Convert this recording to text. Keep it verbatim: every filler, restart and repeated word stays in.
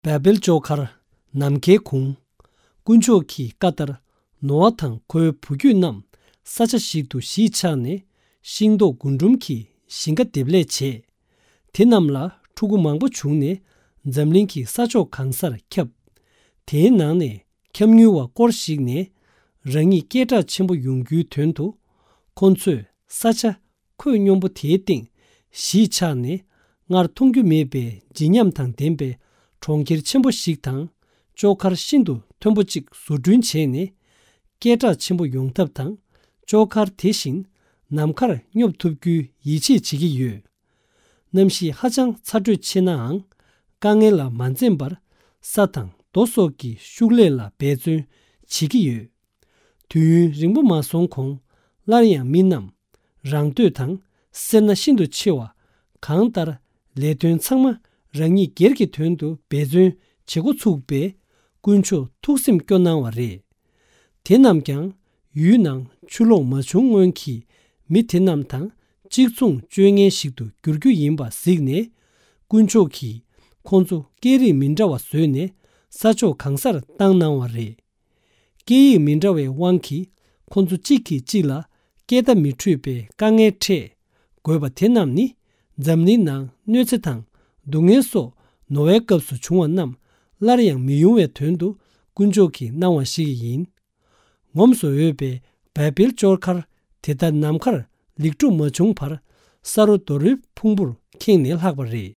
བཱ་བེལ་ལྕོག་མཁར་ནམ་མཁའི་གུང་། དཀོན་མཆོག་གི་བཀའ་ལྟར་ནོ་ཨ་དང་ཁོའི་བུ་རྒྱུད་རྣམས་ས་ཆ་ཞིག་ཏུ་གཞིས་ཆགས་ནས། ཤིང་ཏོག་རྒུན་འབྲུམ་གྱི་ཞིང་ཁ་འདེབས་ལས་བྱས། དེ་རྣམས་ལ་ཕྲུ་གུ་མང་པོ་བྱུང་ནས། འཛམ་གླིང་གི་ས་ཕྱོགས་གང་སར་ཁྱབ། དེའི་ནང་ནས་འཁྱམ་ཉུལ་བ་སྐོར་ཞིག་ནས་རང་ཉིད་སྐད་གྲགས་ཆེན་པོ་ཡོང་རྒྱུའི་དོན་དུ། ཁོ་ཚོས་ས་ཆ་ཁོད་སྙོམས་པོ་དེའི་སྟེང་གཞིས་ཆགས་ནས། སྔར་མཐོང་རྒྱུ་མེད་པའི་བརྗིད་ཉམས་དང་ལྡན་པའི་གྲོང་ཁྱེར་ཆེན་པོ་ཞིག་དང་། ལྕོག་མཁར་ཤིན་ཏུ་མཐོན་པོ་གཅིག་བཟོ་སྐྲུན་བྱས་ནས། སྐད་གྲགས་ཆེན་པོ་ཡོང་ཐབས་དང་། ལྕོག་མཁར་དེ་བཞིན་ནམ་མཁར་སྙོབ་ཐུབ་རྒྱུའི་ཡིད་ཆེས་བྱེད་ཀྱི་ཡོད། གནམ་གཤིས་ཧ་ཅང་ཚ་དྲོད་ཆེ་ནའང་། དཀའ་ངལ་ལ་མ་འཛེམས་པར་ས་དང་རྡོ་སོགས་ཀྱི་ཤུགས་ལས་ལ་འབད་བརྩོན་བྱེད་ཀྱི་ཡོད། དུས་ཡུན་རིང་པོ་མ་སོང་གོང་། སླར་ཡང་མི་རྣམས་རང་འདོད་དང་སེར་སྣ་ཤིན་ཏུ་ཆེ་བ། གང་ལྟར་ལས་དོན་ཚང་མ་རང་ཉིད་སྒེར་གྱི་དོན་དུ་འབད་བརྩོན་བྱེད་འགོ་ཚུགས་པས། དཀོན་མཆོག་ཐུགས་སེམས་སྐྱོ་གནང་བ་རེད། དེ་རྣམས་ཀྱང་ཡུལ་ནང་ཆུ་ལོག་མ་བྱུང་སྔོན་གྱི་མི་དེ་རྣམས་དང་གཅིག་མཚུངས་སྤྱོད་ངན་ཞིག་ཏུ་འགྱུར་རྒྱུ་ཡིན་པ་གཟིགས་ནས། དཀོན་མཆོག་གིས་ཁོང་ཚོ་སྐད་རིགས་མི་འདྲ་བ་བཟོས་ནས་ས་ཕྱོགས་གང་སར་བཏང་གནང་བ་རེད། སྐད་ཡིག་མི་འདྲ་བའི་དབང་གིས་ཁོང་ཚོ་གཅིག་གིས་གཅིག་ལ་སྐད་བརྡ་མི་འཕྲོད་པའི་དཀའ་ངལ་འཕྲད་དགོས་པ་དེ་རྣམས་ནི། འཛམ་གླིང་ནང་གནོད་འཚེ་དང་སྡུག་བསྔལ་སོགས་ནོ་ཨའི་སྐབས་སུ་བྱུང་བ་རྣམས་སླར་ཡང་མི་ཡོང་བའི་དོན་དུ་དཀོན་མཆོག་གིས་གནང་བ་ཞིག་ཡིན། ངོམས་སུ་འོས་པའི་བཱ་བེལ་ལྕོག་མཁར་དེ་ལྟར་ནམ་མཁར་ལེགས་གྲུབ་མ་བྱུང་བར། ས་རོ་རྡོ་རོའི་ཕུང་པོར་ཁེངས་ནས་ལྷག་པ་རེད།